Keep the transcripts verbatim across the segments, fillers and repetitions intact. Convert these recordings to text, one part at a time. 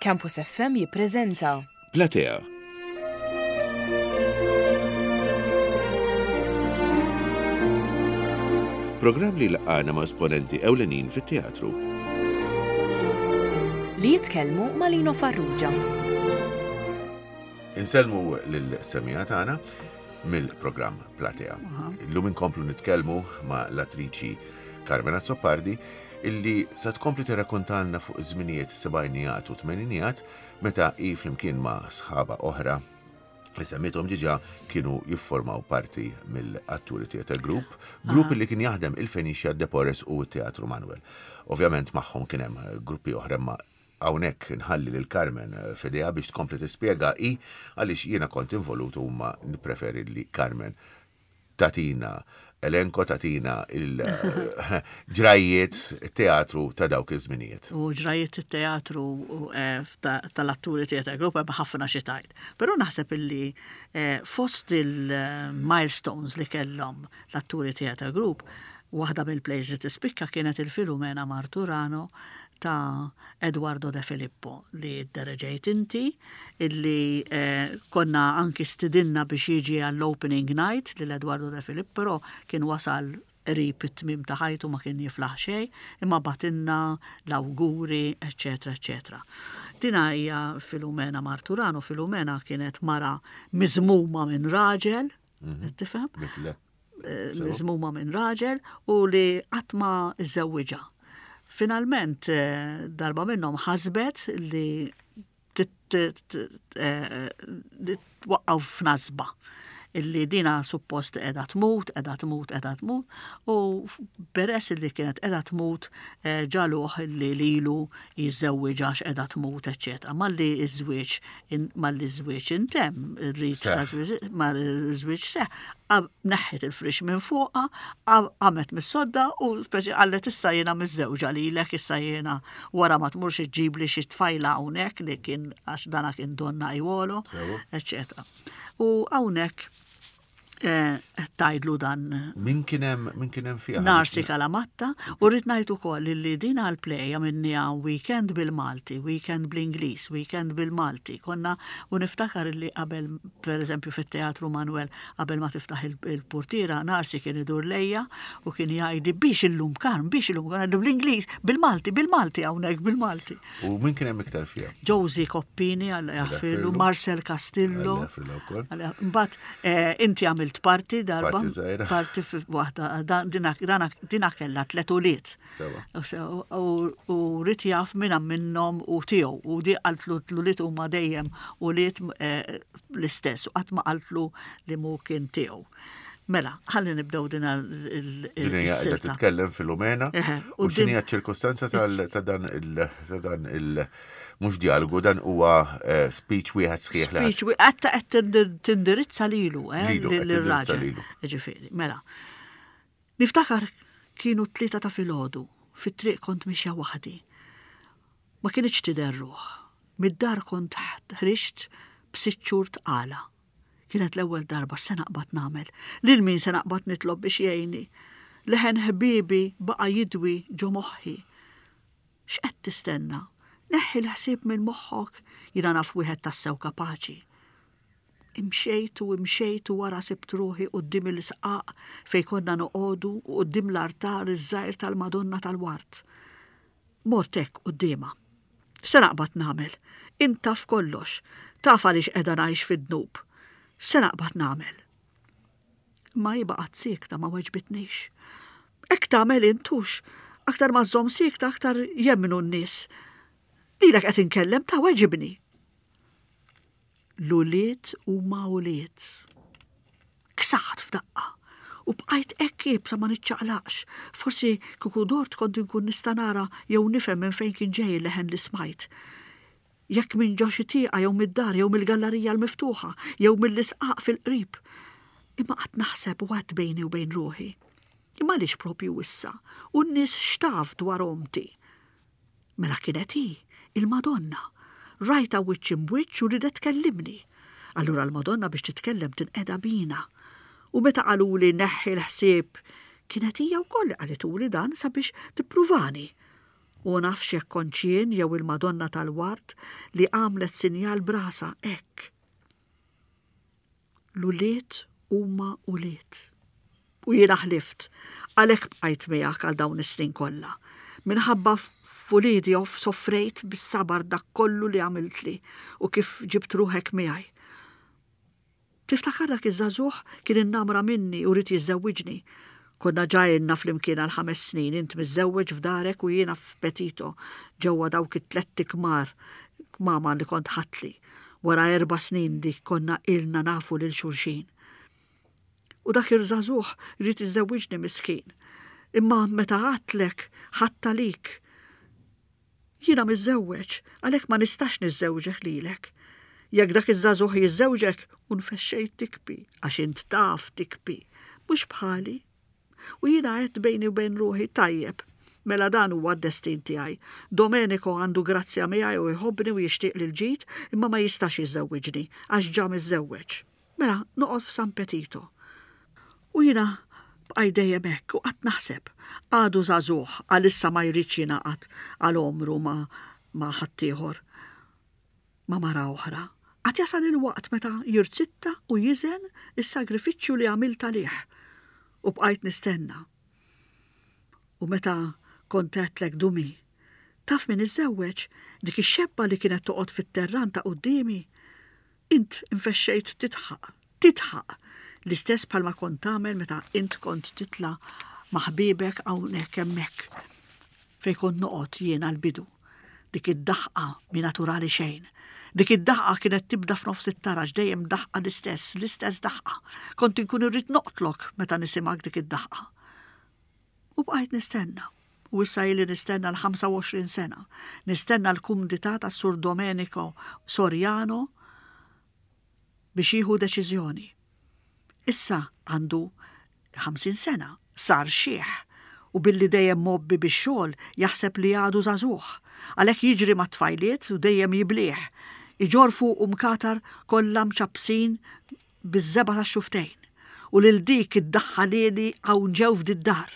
Campus F M jippreżenta Platea. Programm li laqana ma' esponenti ewlenin fit-teatru. Li jitkellmu ma' Lino Farrugia. Insellmu lil-semija tagħna mill-programm Platea. Illum inkomplu nitkellmu ma' l-attriċi Carmen Azzopardi, illi sa tkompli tirrakkontalna fuq żminijiet sebgħinijat u tmeninijat, meta hi flimkien ma' sħaba oħra li semmithom ġiġa kienu jiffurmaw parti mill-Atturi Theatre Group, grupp li kien jaħdem il-Phoenicia, Depores u t-Teatru Manuel. Ovvjament magħhom kien hemm gruppi oħra, ma hawnhekk nħalli lil Carmen f'idejha biex tkompli tispjega hi, għaliex jiena kont involut u ma nippreferi li Carmen tatina elenko, tatina il-ġrajiet teatru ta' dawk iż-żminijiet. U ġrajiet teatru eh, tal-Atturi Theatre Group hemm ħafna xi tgħid. Però naħseb illi eh, fost il-milestones li kellhom l-Atturi Theatre Group, waħda mill-plays li tispikka kienet il-Filumena Marturano ta' Eduardo De Filippo li ddereġejt inti, illi eh, konna anki stidinna biex jiġi għall-opening night lil Eduardo De Filippo, però kien wasal qrib it-tmim ta' ħajtu, ma kien jiflaħ xejn, imma bagħtilna l-awguri, eccetera, eccetera. Dina hija Filumena Marturano. Filumena kienet mara miżmuma minn raġel, mhm. tifhem? Eh, miżmuma minn raġel u li qatt ma iżżewwiġha. Finalment, eh, darba minnhom ħasbet li eh, twaqqgħu f'nasba illi dina suppost qiegħda tmut, qiegħda tmut, qiegħda tmut, u peress li kienet qiegħda tmut eh, ġagħluh li lilu jiżżewwiġha għax qiegħda tmut, eċċetera. Malli iż-żwieġ malli ż-żwieġ intemm, ir-rit ta' żwieġ seħ, neħħet il-frix minn fuqha, qamet mis-sodda u speċi qallet: "Issa jiena miżżewġa lilek, issa jiena wara ma tmurx iġġibli xi tfajla hawnhekk", li kien għax dana kien donnajwolo, eċċetera. U hawnhekk eh, tgħidlu dan. Min kien hemm min kien hemm fiha? Narsi Kalamatta, u rrid ngħid ukoll li din għal-play għamilniha weekend bil-Malti, weekend bl-Ingliż, weekend bil-Malti. Konna u niftakar li qabel, per eżempju, fit-Teatru Manuel, qabel ma tiftaħ il-portiera, Narsi kien idur lejja u kien jgħidi: "Biex illum, Karm, biex illum", kien bl-Ingliż, bil-Malti, bil-Malti hawnhekk bil-Malti. U min kien hemm iktar fiha? Josie Coppini, Alla jaħfirlu, Marcel Castillo. Mbagħad eh, inti għamilt parti darba. Parti waħda, dina kella tlet ulied. U ried jaf minna minnhom u tiegħu. U di qaltlu l-ulied huma dejjem ulied eh, l-istess. U qatt ma qaltlu li mu kien tiegħu. Mela, ħalli nibdew din il il titkellem Filumena u x'inhi ċirkostanza ta' dan il ta' dan il mhux dialogu, dan huwa eh, speech wieħed sħiħ. Speech wieħed qed tindirizza lilu, eh, lir-raġel. Ġifieri, mela. Niftakar kienu tlieta ta' filgħodu, fit-triq kont mixja waħdi. Ma kienx tidher ruħ. Mid-dar kont ħriġt b'sitt xhur tqala. Kienet l-ewwel darba. Se naqbad nagħmel? Lil min se naqbad nitlob biex jgħinni? Leħen ħbibi baqa' jidwi ġo moħħi. "X'qed tistenna? Neħħi l-ħsieb minn moħħok, jiena naf wieħed tassew kapaċi." Imxejt u imxejt u wara sibt ruħi quddiem il-sqaq fej konna noqogħdu u quddiem l-artar iż-żgħir tal-Madonna tal-Ward. Mort hekk quddiemha. "Se naqbad nagħmel? Int taf kollox, taf għaliex qiegħda ngħix fid-dnub. Se naqbad nagħmel?" Ma hi baqgħet siekta, ma weġbitnix. "Hekk tagħmel int hux, aktar ma żżomm siekta aktar jemmnu n-nies. Lilek qed inkellem ta', weġibni." L-ulied huma ulied. Ksaħt f'daqqa u bqajt hekk iebsa, ma niċċaqlaqx. Forsi kieku dort kont inkun nista' nara jew nifhem minn fejn kien ġej il-leħen li smajt. Jekk minn ġo xi tieqa jew mid-dar jew mill-gallerija l-miftuħa jew mill-isqaq fil-qrib. Imma qatt naħseb u għedt bejni u bejn ruħi: "Imma għaliex propju issa? U n-nies x'taf dwar omti?" Mela kienet hi, il-Madonna. Rajtha wiċċ imb'wiċċ u ridet tkellimni. Allura l-Madonna biex titkellem tinqeda bina. U meta qaluli neħħi l-ħsieb, kienet hija wkoll li qalituli dan sabiex tippruvani. U nafx jekk kontx jien jew il-Madonna tal-Ward li għamlet sinjal b'rasha hekk. L-ulied huma ulied. U jiena ħlift, għalhekk bqajt miegħek għal dawn is-snin kollha. Minħabba f'uliedi soffrejt bis-sabar dak kollu li għamiltli u kif ġibt ruħek miegħi. Tiftakar dak iż-żagħżugħ kien innamra minni u ried jiżżewwiġni. Konna ġa ilna flimkien għal ħames snin, int miżżewweġ f'darek u jiena f'Petito, ġewwa dawk it-tlett ikmar mama li kont ħadtli, wara erba' snin li konna ilna nafu lil xulxin. U dak iż-żagħżugħ ried jiżżewwiġni miskin. Imma meta għedtlek ħadtha għalik. Jiena miżżewweġ, għalhekk ma nistax niżżewġek lilek. Jekk dak iż-żagħżugħ jiżżewġek, u nfexxejt tibki, għax int taf tibki, mhux bħali. U jiena għedt bejni u bejn ruħi tajjeb, mela dan huwa d-destin tiegħi. Domenico għandu grazzja miegħi u jħobbni u jixtieq li l-ġid, imma ma jistax jiżżewwiġni għax ġa miżżewweġ. Mela noqgħod f'San Petito. U jiena bqajt dejjem hekk u qatt naħseb. Għadu żagħżugħ għalissa ma jridx jingħaqad għal għomru ma' ma' ħaddieħor, ma' mara oħra. Għad jasal il-waqt meta jirzitta u jiżen is-sagrifiċċju li għamilt għalih. U bqajt nistenna. U meta kont għedtlek Dumi, taf min iżżewweġ dik ix-xebba li kienet toqgħod fit-terran ta' quddiemi. Int infexxejt titħaq, titħaq, l-istess bħalma kont tagħmel meta int kont titla' ma' ħbibek hawnhekk hemmhekk fejn kont noqgħod jien għall-bidu. Dik id-daħqa mi naturali xejn. Dik id-daħqa kienet tibda f'nofs it-taraġ dejjem daħqa l-istess, l-istess daħqa. Kont inkun irrid noqtlok meta nisimgħek dik id-daħqa. U bqajt nistenna. U issa ili nistenna l-ħamsa u għoxrin sena. Nistenna l-kumdità tas Sur Domenico Soriano biex jieħu deċiżjoni. Issa għandu ħamsin sena, sar xiħ, u billi dejjem mgħobbi bix-xogħol jaħseb li għadu żagħżugħ. Għalhekk jiġri mat-tfajliet u dejjem jiblieh. Iġorr fuq u mkatar kollha mċappsin biż-żebgħa tax-xuftejn. U lil dik iddaħħalili hawn ġew f'did-dar.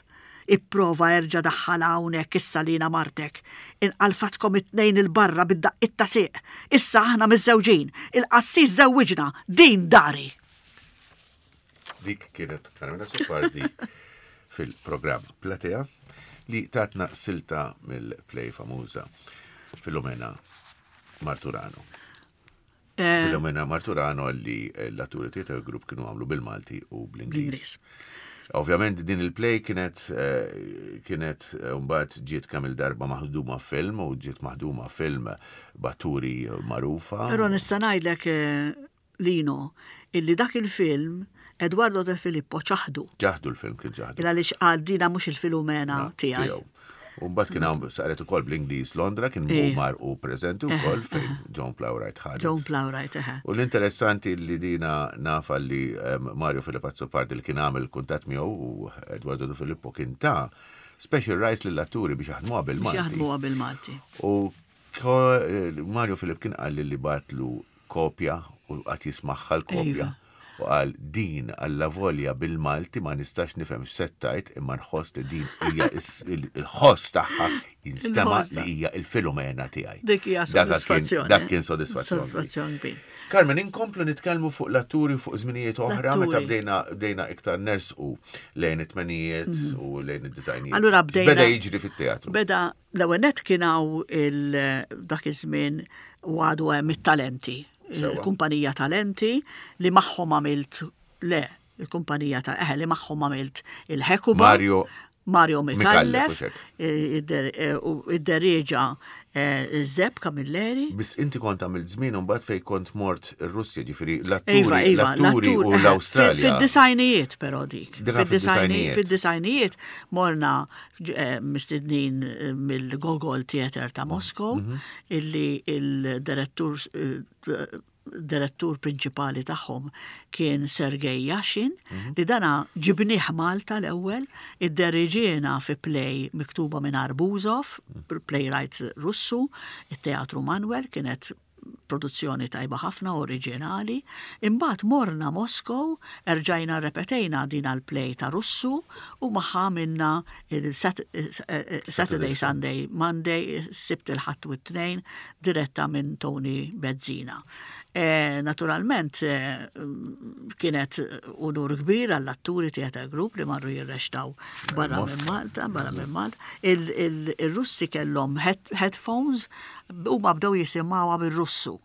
Ipprova erġa' daħħalha hawnhekk issa li jiena martek. Inqalfatkom it-tnejn il-barra bid-daqqiet ta' sieq. Issa aħna miżżewġin. Il-qassis żewwiġna. Din dari. Dik kienet Carmen Azzopardi fil-programm Platea li tatna silta mill-play famuża Filomena Marturano. Eh, Filomena Marturano li l-atturi Theatre Group kienu għamlu bil-Malti u bl-Ingliż. Bl-Ingliż. Ovvjament din il-play kienet, eh, kienet, eh, mbagħad ġiet kemm il-darba maħduma film u ġiet maħduma film b'atturi magħrufa. Però nista' ngħidlek, eh, Lino, illi dak il-film Eduardo De Filippo ċaħdu. Ċaħdu l-film kien ċaħdu. Il għaliex qal dina mhux il-Filomena tiegħi. Tiegħu. U mbagħad kien hawn saret ukoll bl-Ingliż Londra, kien Ej. mar u preżenti wkoll fejn Joan Plowright ħadet. Joan Plowright, eħe. U l-interessanti li dina nafa li em, Mario Philip Azzopardi li kien għamel kuntatt miegħu u Eduardo De Filippo kien ta' special rights lill-atturi biex jaħdmuha Biex bil-Malti. jaħdmuha bil-Malti. U ko- Mario Philip kien qal li bagħatlu kopja u qatt jismagħha l-kopja. Iva. U qal din alla volja bil-Malti ma nistax nifhem x'settajt imma nħoss li din hija is- il- il-ħoss tagħha jinstema' Il-ħoss li hija il-Filomena tiegħi. Dik hija Dak kien- sodisfazzjoni. Dak kien sodisfazzjon. Sodisfazzjon kbir. Carmen, inkomplu nitkellmu fuq l-atturi fuq żminijiet oħra meta L-atturi. bdejna bdejna iktar nersqu lejn it-tmenijiet u lejn id-disgħinijiet. Mhm. Allura bdejna- Beda jiġri fit-teatru. Beda l-ewwel nett kien hawn il dak iż-żmien u għadu hemm it-talenti. Sewa. Il-kumpanija Talenti li magħhom għamilt le, il-kumpanija ta' eħe li magħhom għamilt il-Hekuba. Mario Mario Micallef, Micallef, u xek. id-der- u id-derieġa Zeb Camilleri. Biss inti kont għamilt żmien u mbagħad fejn kont mort ir-Russja, ġifieri Iva, l-atturi, iva, l-atturi u eħe, l-Awstralja. Fid-disgħinijiet però dik. Dik fid-disgħinijiet. Fid-disgħinijiet morna eh, mistednin eh, mill-Gogol Theater ta' Moskow, Mhm. illi il-direttur eh, direttur prinċipali tagħhom kien Sergej Yashin, Mhm. li dana ġibnieh Malta l-ewwel, idderiġiena fi play miktuba minn Arbuzov, Mhm. playwright Russu, it-Teatru Manuel, kienet Produzzjoni tajba ħafna, oriġinali. Imbagħad morna Moskow, erġajna repetejna din għal-play ta' Russu u magħha minna il-Saturday, Sunday, Monday, Sibt, il-Ħadd u t-Tnejn, diretta minn Tony Bezzina. E, naturalment, eh, kienet unur kbir għall-atturi Theatre Group li marru jirreċtaw barra minn Malta, barra minn Malta. Il-Russi kellhom headphones u ma bdew jisimgħuha bil-Russu.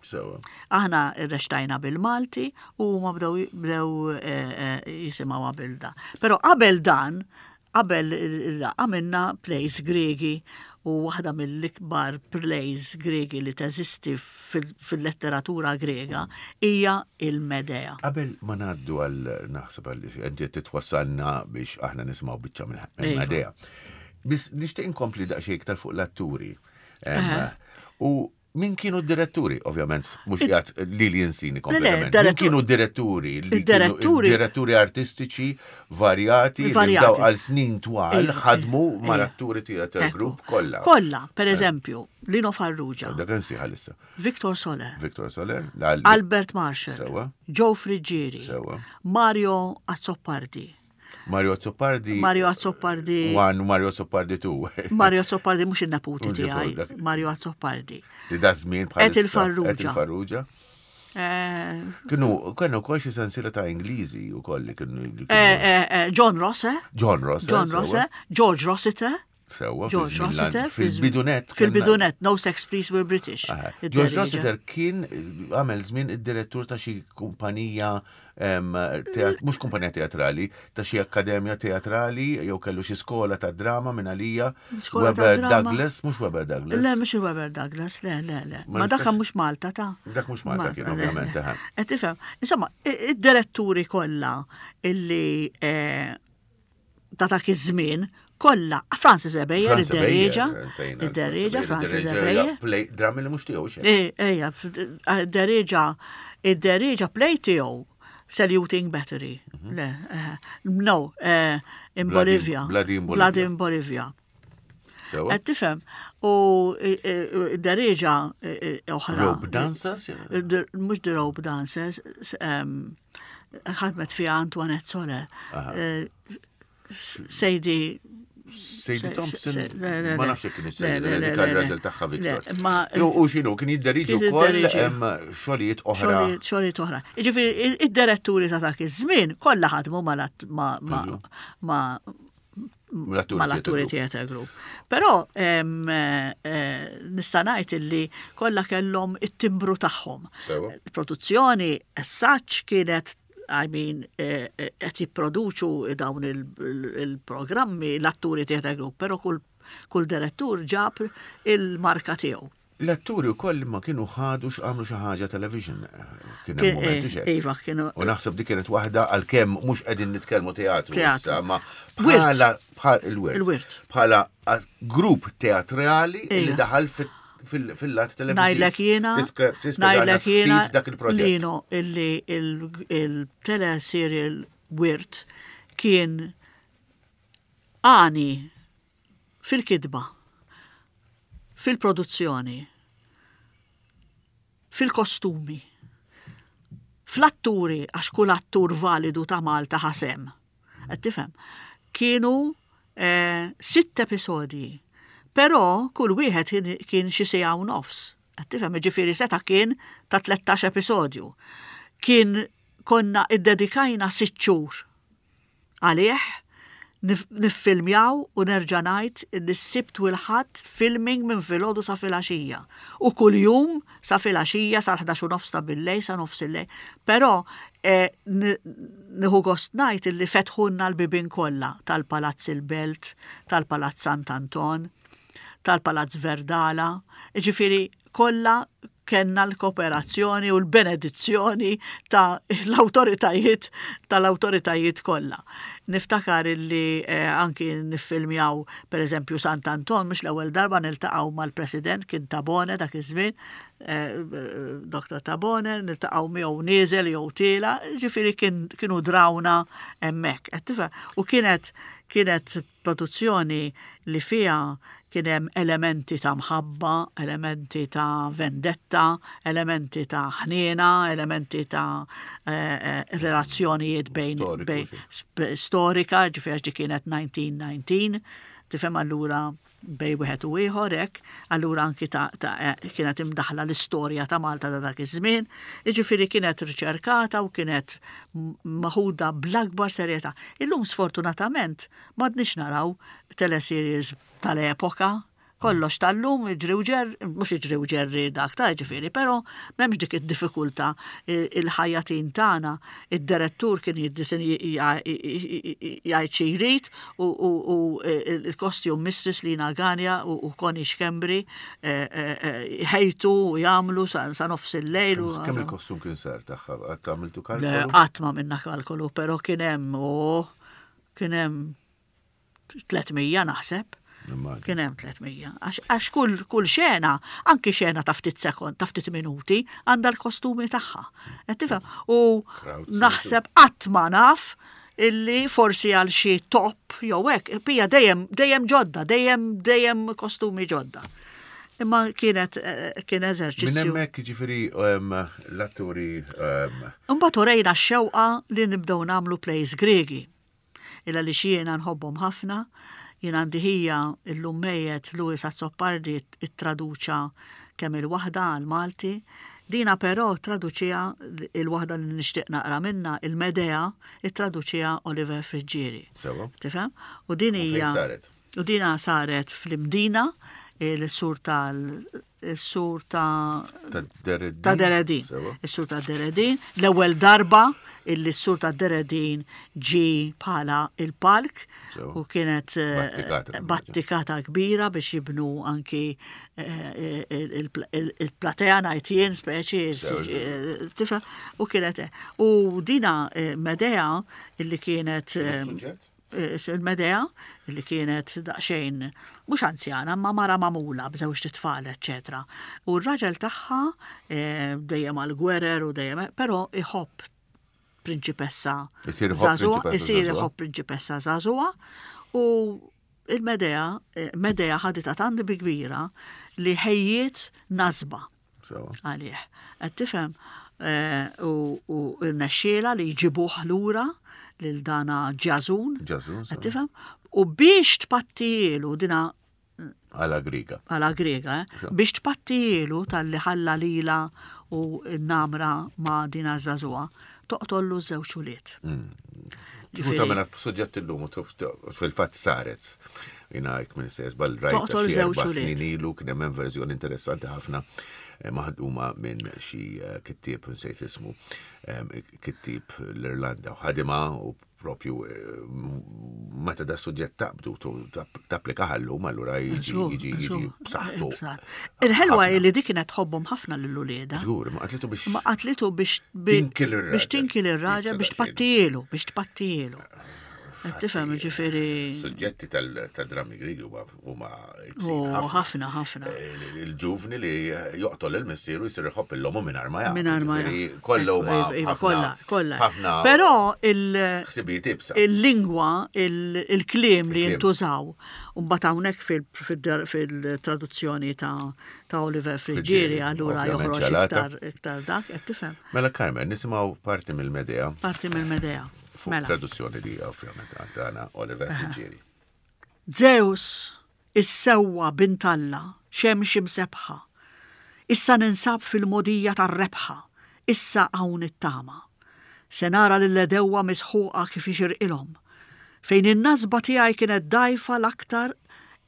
Aħna rreċtajna bil-Malti u ma bdew bdew eh, jisimgħuha bil-da. Però qabel dan, qabel għamilna plays Gregi u waħda mill-ikbar plays Gregi li teżisti fil-letteratura Grega hija il-Medea. Qabel ma ngħaddu għal, naħseb għal inti titwassalna biex aħna nisimgħu biċċa mill-Medea. Biss nixtieq inkompli daqsxejn iktar fuq l-atturi. U min kienu d-diretturi? Ovvjament, mhux qiegħed li li jinsini kompletament. Min kienu d-diretturi? Diretturi. Diretturi artistiċi varjati li daw għal snin twal ħadmu mal-atturi Theatre Group kollha. Kollha, per eżempju, Lino Farrugia. Dak nsiħa issa. Victor Soler. Victor Soler. Albert Marshall. Sewa. Joe Friggieri. Sewa. Mario Azzopardi. Mario Azzopardi. Mario Azzopardi. One, Mario Azzopardi two. Mario Azzopardi mhux in-neputi tiegħi. Mario Azzopardi. Li da żmien bħal. Etil Farrugia. Etil Farrugia. Eh, Kienu, kienu kol xi sensiela ta' Ingliżi u koll li kienu. Eh, eh, John Rosse. John Rosse. John Rosse. George Rossiter. Sewa, George Rossiter. Fil-bidunet. Fil-bidunet, No Sex Please We're British. George Rossiter kien għamel żmien id-direttur ta' xi kumpanija, mhux kumpanija teatrali, ta' xi akkademja teatrali, jew kellu xi skola ta' drama minn għalija. Webber Douglas, mhux Webber Douglas. Le, mhux Webber Douglas, le, le, le. Ma dak mhux Malta ta' Dak mhux Malta kien, ovvjament. Qed tifhem. Insomma, id-diretturi kollha illi ta' dak iż-żmien kollha, Francis Ebejer, id-derieġa, id-derieġa, Francis Ebejer. Drammi li mhux tiegħu xejn. Ejja, id-derieġa, id-derieġa play tiegħu Saluting Battery. Le, no, in Bolivia. Bloody in Bolivia. Bloody in Bolivia. Qed tifhem, u id-derieġa oħra. Rope Dancers? Mhux the Rope Dancers, ħadmet fiha Antoinette Soler. Sadie Sadie Thompson, ma nafx kien is-Sadie, dik ir-raġel tagħha Victor. U x'inhu kien jidderieġi wkoll xogħlijiet oħra. Xogħlijiet oħra. Jiġifieri id-diretturi ta' dak iż-żmien kollha ħadmu ma' mal-atturi Theatre Group. Però nista' ngħid illi kollha kellhom it-timbru tagħhom. Il-produzzjoni as such kienet, I mean, qed jipproduċu dawn il-programmi l-atturi Theatre Group, però kull kull direttur ġab il-marka tiegħu. L-atturi wkoll ma kienu ħadu x'għamlu xi ħaġa television. Kien hemm momenti xejn. Iva, kienu. U naħseb dik kienet waħda, għalkemm mhux qegħdin nitkellmu teatru issa, ma bħala bħal il-wirt. Il-wirt. Bħala grupp teatrali li daħal fil-lat televiżiv. Ngħidlek jiena, ngħidlek jiena dak il-proġett. Lino, illi il-teleserial Wirt kien għani fil-kidba, fil-produzzjoni, fil-kostumi, fl-atturi, għax kull attur validu ta' Malta ħasem. Qed tifhem? Kienu eh, sitt episodji, però kull wieħed kien xi siegħa u nofs. Qed tifhem? Ġifieri seta' kien ta' tlettax episodju. Kien konna iddedikajna sitt xhur għalih niffilmjaw u nerġa' ngħid li s-Sibt u l-Ħadd filming minn filgħodu sa filgħaxija. U kuljum sa filgħaxija sa ħdax u nofs ta' billejl sa nofs il-lejl. Però nieħu gost ngħid illi fetħulna l-bibien kollha tal-Palazz il-Belt, tal-Palazz Sant'Anton, tal-Palazz Verdala, ġifieri kollha kellna l-kooperazzjoni u l-benedizzjoni ta' l-autoritajiet tal-autoritajiet kollha. Niftakar illi eh, anki niffilmjaw per eżempju Sant'Anton, mhux l-ewwel darba niltaqgħu mal-President, kien Tabone dak iż-żmien, eh, Dottor Tabone, niltaqgħu miegħu nieżel jew tiela', ġifieri kienu drawna hemmhekk. U kienet kienet produzzjoni li fiha kien hemm elementi ta' mħabba, elementi ta' vendetta, elementi ta' ħniena, elementi ta' eh, eh, relazzjonijiet bejn, bejn storika, ġifieri kienet elf disa' mija u tnax, tifhem, allura bejn wieħed u ieħor hekk, allura anki ta', ta eh, kienet imdaħla l-istorja ta' Malta ta' dak iż-żmien, jiġifieri kienet riċerkata u kienet maħuda bl-akbar serjetà. Illum sfortunatament m'għadniex naraw teleseries tal-epoka, kollox tal-lum, iġri u ġerri, mhux iġri u ġerri dak ta' ġifieri, però m'hemmx dik id-diffikultà. Il-ħajjatin tagħna, id-direttur kien jiddisin jgħid xi jrid u il-costume mistress Lina Ganja u Connie Schembri ħejtu u jagħmlu sa nofs il-lejl. Kemm il-kostum kien sar tagħha? Qatt għamiltu kalkolu? Qatt ma minna kalkolu, però kien hemm kien hemm tliet mija naħseb. Kien hemm tliet mija. Għax kull kull xena, anki xena ta' ftit sekond, ta' ftit minuti, għandha l-kostumi tagħha. Qed tifhem? U naħseb qatt ma naf illi forsi għal xi top jew hekk, pija dejjem dejjem ġodda, dejjem dejjem kostumi ġodda. Imma kienet kien eżerċizzju. Minn hemmhekk ġifieri l-atturi. Imbagħad urejna x-xewqa li nibdew nagħmlu plays Gregi. Illa li jiena nħobbhom ħafna. Jien għandi ħija illum mejjet, Louis Azzopardi, ittraduċa kemm il-waħda għal-Malti. Dina però traduċija il-waħda li nixtieq naqra minna, il-Medea, ittraduċija Oliver Friggieri. Sewa. Tifhem? U din hija. U dina saret fl-Imdina, il-sur tal il-sur ta' Ta' Deredin. Il-sur ta' Deredin. L-ewwel darba illi s-sur ta' Deredin ġi bħala il-palk u kienet eh, battikata kbira biex jibnu anki eh, il-platea najtien speċi, tifhem, u kienet u dina eh, Medea illi kienet il-Medea illi kienet daqsxejn mhux anzjana ma mara magħmula b'żewġ tfal, eċetera. U r-raġel tagħha dejjem għal-gwerer u dejjem, però iħobb prinċipessa żagħżugħa, isir iħobb prinċipessa żagħżugħa u il-Medea, Medea ħaditha tant bi kbira li ħejjiet nasba għalih. Qed tifhem, u rnexxiela li jġibuh lura lil dana Ġażun. Ġażun. Tifhem? U biex tpattijielu dina Għala Griega. Għala Griega, eh? Biex tpattijielu talli ħalla lila u namra ma' dina żagħżugħa, toqtollu żewġ ulied. Kieku tagħmilha suġġett illum fil-fatt saret. Jiena jekk minn sejs bal rajt xi erba' snin ilu kien hemm verżjoni interessanti ħafna eh, maħduma minn xi eh, kittieb, nsejt ismu, kittieb l-Irlanda u ħadima u propju eh, meta da suġġett taqbdu tapplika ħallu allura jiġi jiġi jiġi b'saħħtu. Il-ħelwa li dik kienet tħobbhom ħafna lil ulieda. Żgur, ma qatlitu biex. Ma qatlitu biex biex tinkil ir-raġel, biex tpattielu, biex tpattielu. Tifhem, ġifieri. Suġġetti tal-drammi Grigi huma ħafna ħafna. Eh, il-ġuvni li joqtol il-missieru jsir iħobb l-ommu mingħajr ma jaf. Mingħajr ma jaf. Kollha huma kollha, kollha. Ħafna. Però ħsibijiet ibsa. Il-lingwa, il-kliem li jintużaw, u mbagħad hawnhekk fil-traduzzjoni ta' Oliver Friggieri allura joħroġ iktar iktar dak, qed tifhem. Mela Carmen, nisimgħu parti mill-Medea. Parti mill-Medea. Fuq mela. Traduzzjoni li ovvjament għandana Oliver Friggieri. Zeus, is-sewwa bint Alla, xemx imsebħa. Issa ninsab fil-mogħdija tar-rebħa, issa hawn it-tama. Se nara lill-għedewwa misħuqa kif ixirqilhom. Fejn in-nasba tiegħi kienet dgħajfa l-aktar,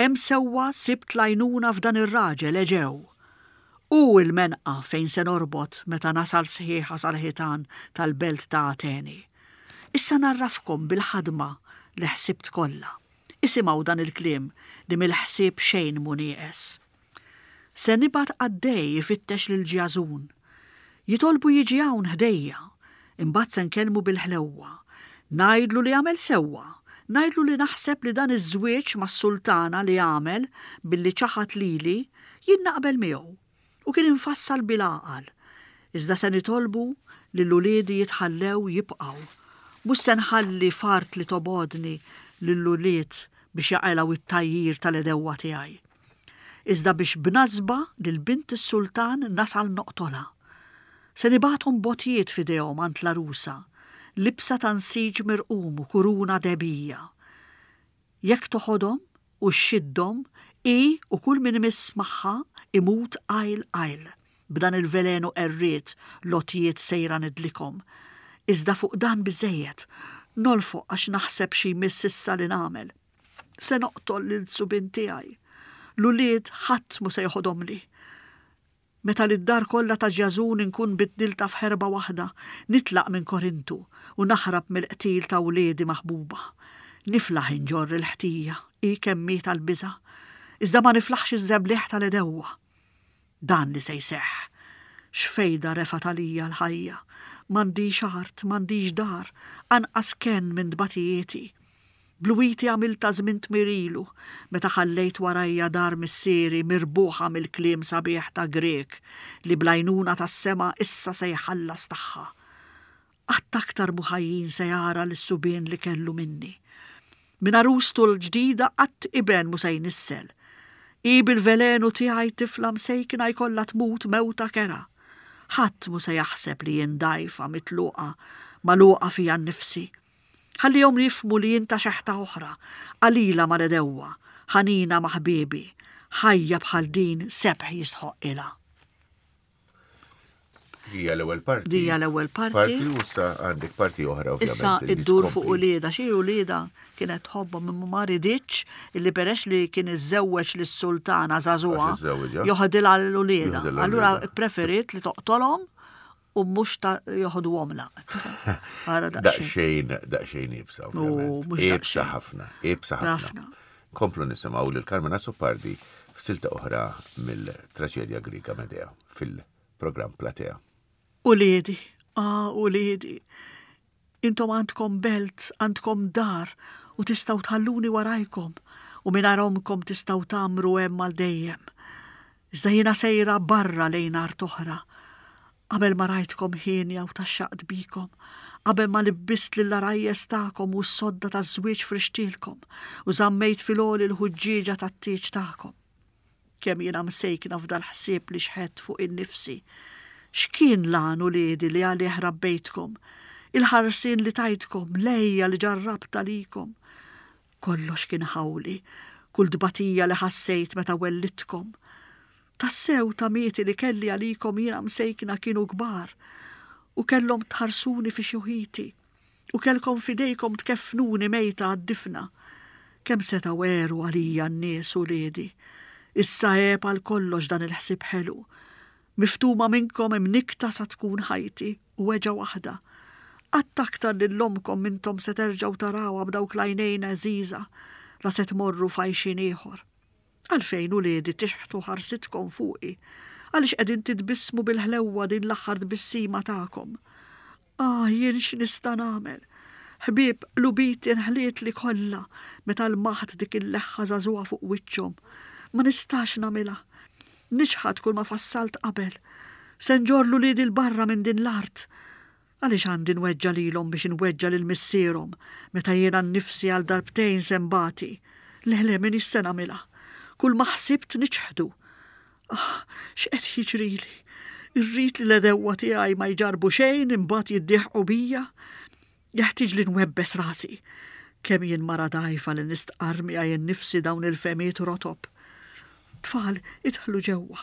hemm sewwa sibt l-għajnuna f'dan ir-raġel Eġew. U il-menqa fejn se norbot meta nasal sħiħa sal-ħitan tal-belt ta' Ateni. Issa narrafkom bil-ħadma li ħsibt kollha. Isimgħu dan il-kliem li mill-ħsieb xejn mu nieqes. Se nibgħat qaddej ifittex lil Ġażun. Jitolbu jiġi hawn ħdejja, imbagħad se nkellmu bil-ħlewwa. Ngħidlu li għamel sewwa, ngħidlu li naħseb li dan iż-żwieġ mas-sultana li għamel billi ċaħat lili, jien naqbel miegħu. U kien infassal bil-għaqal, iżda se nitolbu li l-uliedi jitħallew jibqgħu. Mhux se nħalli fart li tobodni lill-ulied biex jaqilgħu it-tajjir tal-edewwa tiegħi. Iżda biex b'nasba lil bint is-sultan nasal noqtolha. Se nibgħathom b'għotjiet f'idejhom għand l-għarusa, libsa ta' nsiġ mirqum u kuruna dehbija. Jekk toħodhom u xxiddhom, hi u kull min imiss magħha imut qajl qajl. B'dan il-velenu qerried l-għotjiet sejra nidlikhom. Iżda fuq dan biżżejjed, nolfoq għax naħseb xi jmiss issa li nagħmel. Se noqtol lil subien tiegħi. L-ulied ħadd mu se joħodhomli. Meta li d-dar kollha ta' Ġażun inkun biddilta f'ħerba waħda, nitlaq minn Korintu u naħrab mill-qtil ta' wliedi maħbuba. Niflaħ inġorr il-ħtija, hi kemm hi tal-biża', iżda ma niflaħx iż-żebliħ tal-edewwa. Dan li se jseħħ. X'fejda refgħet għalija l-ħajja. M'għandix art, m'għandix dar, anqas kenn minn tbatijieti. Bluwiti għamilta żmien tmirilu, meta ħallejt warajja dar missieri mirbuħa mill-kliem sabiħ ta' Grek li bl-għajnuna tas-sema issa se jħallas tagħha. Qatt aktar mhu ħajjin se jara lis-subien li kellu minni. Minn għarustu l-ġdida qatt iben mu se jnissel. I bil-velenu tiegħi tifla msejkna jkollha tmut mewta kerha. Ħadd mu se jaħseb li jien dgħajfa mitluqa magħluqa fija nnifsi. Ħallihom jifhmu li jien ta' xeħta oħra, qalila mal-edewwa, ħanina ma' ħbiebi, ħajja bħal din sebħ jistħoqqilha. Hija l-ewwel parti. Dija l-ewwel parti. Parti u issa għandek parti oħra Issa ovvjament. li iddur tkompli. fuq ulieda, xi ulieda kienet tħobbhom imma ma riditx illi peress li kien iżżewweġ lis-sultana żagħżugħa Għax iżżewweġha. joħodilha l-ulieda. Joħodilha Allura l-ulieda. preferiet li toqtolhom u mhux ta' joħoduhomlha. Ara daqsxejn. Daqsxejn, daqsxejn iebsa, U ovvjament. mhux Iebsa daqsxejn. ħafna, iebsa ħafna. Ħafna. Komplu nisimgħu lil Carmen Azzopardi f'silta oħra mill-traġedja Griega Medea fil-programm Platea. Uliedi, ah, uliedi, intom għandkom belt, għandkom dar u tistgħu tħalluni warajkom u minn omkom tistgħu tgħammru hemm għal dejjem. Iżda jiena sejra barra lejn art oħra. Qabel ma rajtkom hienja u tgħaxxaqt bikom, qabel ma libbist lill-għarajjes tagħkom u s-sodda taż-żwieġ frixtilkom u żammejt fil-għoli l-ħuġġieġa tat-tieġ tagħkom. Kemm jiena msejkna f'dal-ħsieb li xħet fuq in-nifsi. X'kien l-għan uliedi li għalih rabbejtkom? Il-ħarsien li tajtkom, l-għeja li ġarrabt għalikom. Kollox kien ħawli, kull tbatija li ħassejt meta wellidtkom. Tassew tamieti li kelli għalikom jiena msejkna kienu kbar u kellhom tħarsuni fi xjuħiti u kellkom f'idejkom tkeffnuni mejta għad-difna. Kemm setgħu għeru għalija n-nies uliedi. Issa għeb għal kollox dan il-ħsieb ħelu. Miftuma minnkom imnikta sa tkun ħajti u weġgħa waħda. Qatt aktar lil ommkom m'intom se terġgħu tarawha b'dawk l-għajnejn għeżiża la se tmorru f'għajxien ieħor. Għalfejn uliedi tixħtu ħarsitkom fuqi, għaliex qegħdin titbissmu bil-ħlewwa din l-aħħar tbissima tagħkom. Ah, jien x'nista' nagħmel? Ħbieb, qlubiti nħlietli kollha meta lmaħt dik il-leħħa żagħżugħa fuq wiċċhom. Ma nistax nagħmilha. Niċħad kull ma fassalt qabel. Se nġorr 'l uliedi 'l barra minn din l-art. Għaliex għandi nweġġa' lilhom biex nweġġa' lil missierhom meta jiena nnifsi għal darbtejn se nbati. Le, le, m'iniex se nagħmilha. Kull ma ħsibt niċħdu. Ah, x'qed jiġrili? Irrid li l-edewwa tiegħi ma jġarbu xejn imbagħad jiddieħqu bija. Jeħtieġ li nwebbes rasi. Kemm jien mara dgħajfa li nistqarr miegħi nnifsi dawn il-fehmiet rotob. Tfal, idħlu ġewwa.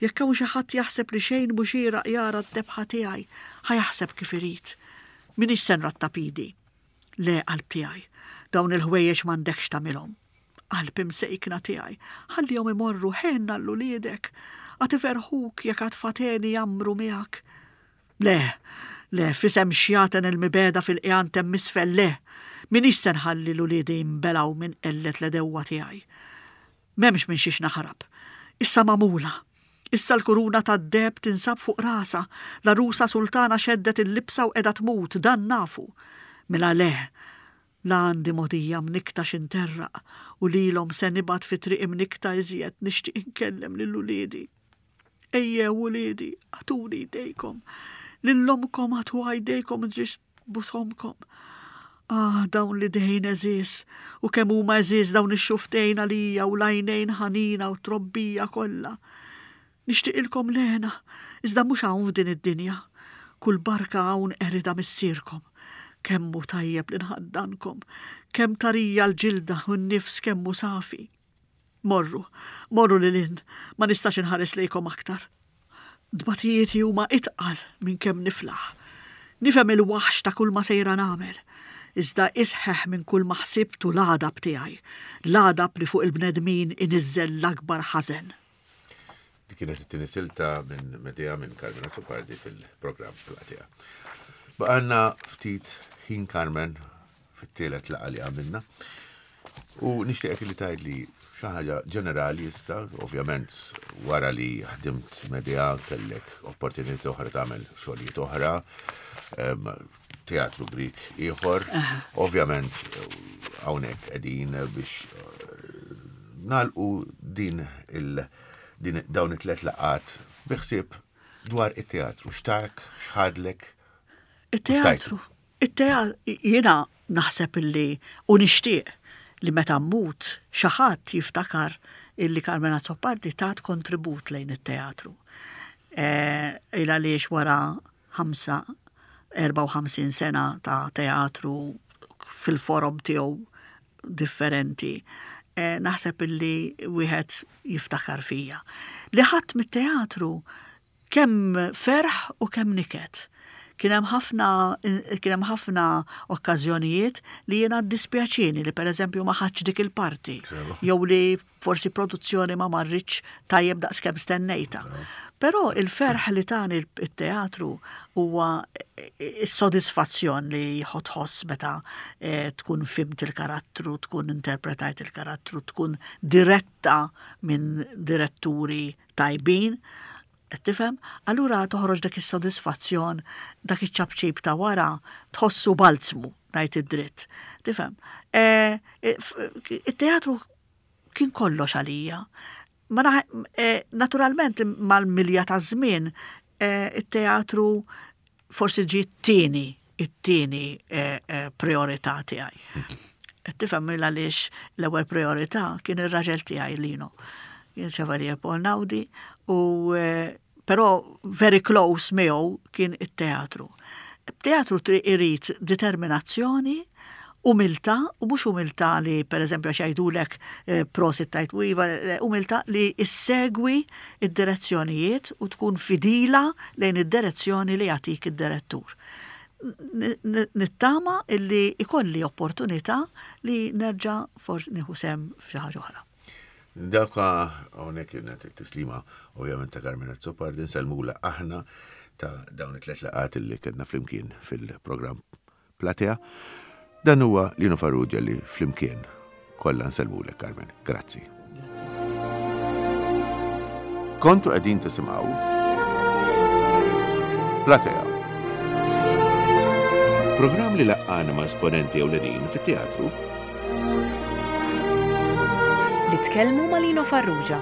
Jekk hawn xi ħadd jaħseb li xejn mhu xieraq jara d-debħa tiegħi, ħa jaħseb kif irid. M'iniex se nrattab idi. Le, qalb tiegħi, dawn il-ħwejjeġ m'għandekx tagħmilhom. Qalb imsejkna tiegħi, ħallihom imorru ħenn għal uliedek, għad iferrħuk jekk għad fateni jgħammru miegħek. Le, le, f'isem xjaten il-mibegħda fil-qigħan t'hemm isfel, le, m'iniex se nħalli 'l uliedi jinbelgħu minn qellet l-edewwa tiegħi. M'hemmx minn xiex naħrab. Issa magħmula. Issa l-kuruna tad-deheb tinsab fuq rasha, l-għarusa sultana xeddet il-libsa u qiegħda tmut, dan nafu. Mela le, la għandi mogħdija mnikta x'interraq u lilhom se nibgħat fi triq imnikta iżjed nixtieq inkellem lil uliedi. Ejjew uliedi, agħtuni jdejkom. Lil ommkom agħtuha jdejkom ġis busomkom. Ah, dawn l-idejn għeżież, u kemm huma għeżież dawn ix-xufftejn għalija u l-għajnejn ħanina u trobbija kollha. Nixtieqilkom l-hena, iżda mhux hawn f'din id-dinja. Kull barka hawn qeridha missierkom. Kemm hu tajjeb li nħaddankom, kemm tarija l-ġilda u n-nifs kemm hu safi. Morru, morru lil hinn, ma nistax inħares lejkom aktar. Dbatijieti huma itqal minn kemm niflaħ. Nifhem il-waħx ta' kull ma sejra nagħmel. Iżda isħeħ minn kull ma ħsibtu l-għadab tiegħi, l-għadab li fuq il-bnedmin iniżżel l-akbar ħażen. Dik kienet it-tieni silta minn Medea minn Carmen Azzopardi fil-programm Platea. Baqgħalna ftit ħin, Carmen, fit-tielet laqgħa li għamilna. U nixtieqek li tgħidli xi ħaġa ġenerali issa, ovvjament wara li ħdimt Medea kellek opportunità oħra tagħmel xogħlijiet oħra, em, teatru Grik ieħor, ovvjament hawnhekk qegħdin biex eh, nagħlqu din il din dawn it-tlet laqgħat bi ħsieb dwar it-teatru. X'tak, x'ħadlek? Il-teatru. Il-teatru, jiena naħseb illi u nixtieq li meta mmut xi ħadd jiftakar illi Carmen Azzopardi tat kontribut lejn it-teatru. Eh, Ila għaliex wara ħamsa, erbgħa u ħamsin sena ta' teatru fil-forom tiegħu differenti, eh, naħseb illi wieħed jiftakar fija. Li ħadd mit-teatru kemm ferħ u kemm niket. Kien hemm ħafna kien hemm ħafna okkażjonijiet li jiena dispjaċini li pereżempju ma ħadx dik il-parti jew li forsi produzzjoni ma marritx tajjeb daqskemm stennejta. Però il-ferħ li tani il-teatru huwa is-sodisfazzjon li tħoss meta eh, tkun fhimt il-karattru, tkun interpretajt il-karattru, tkun diretta minn diretturi tajbin. Qed tifhem? Allura toħroġ dak is-sodisfazzjon, dak iċ-ċapċip ta' wara tħossu balzmu, ngħid id-dritt. Tifhem? Eh, eh, f- Il-teatru kien kollox għalija. Ma naħ- eh, naturalment mal-milja ta' żmien eh, it-teatru forsi ġi t-tieni, it-tieni eh, eh, priorità tiegħi. Qed tifhem għaliex l-ewwel priorità kien ir-raġel tiegħi Lino. Kien Chevalier Paul Naudi u eh, però very close miegħu kien it-teatru. Teatru tri irid determinazzjoni, umiltà, u mhux umiltà li per eżempju għax jgħidulek eh, prosit tajt u iva, eh, umiltà li issegwi id-direzzjonijiet u tkun fidila lejn id-direzzjoni li jagħtik id-direttur. N- n- Nittama illi ikolli opportunità li nerġa' forsi nieħu sehem f'xi ħaġa oħra. Daka hawnhekk kienet it-tislima ovvjament ta' Carmen Azzopardi, nsellmula aħna ta' dawn it-tlet laqgħat li kellna flimkien fil-programm Platea. Dan huwa Lino Farrugia li flimkien kollha nsellmulek, Carmen. Grazzi. Kontu qegħdin tisimgħu Platea. Programm li laqqana ma' esponenti ewlenin fit-teatru Li tkellmu ma' Lino Farrugia.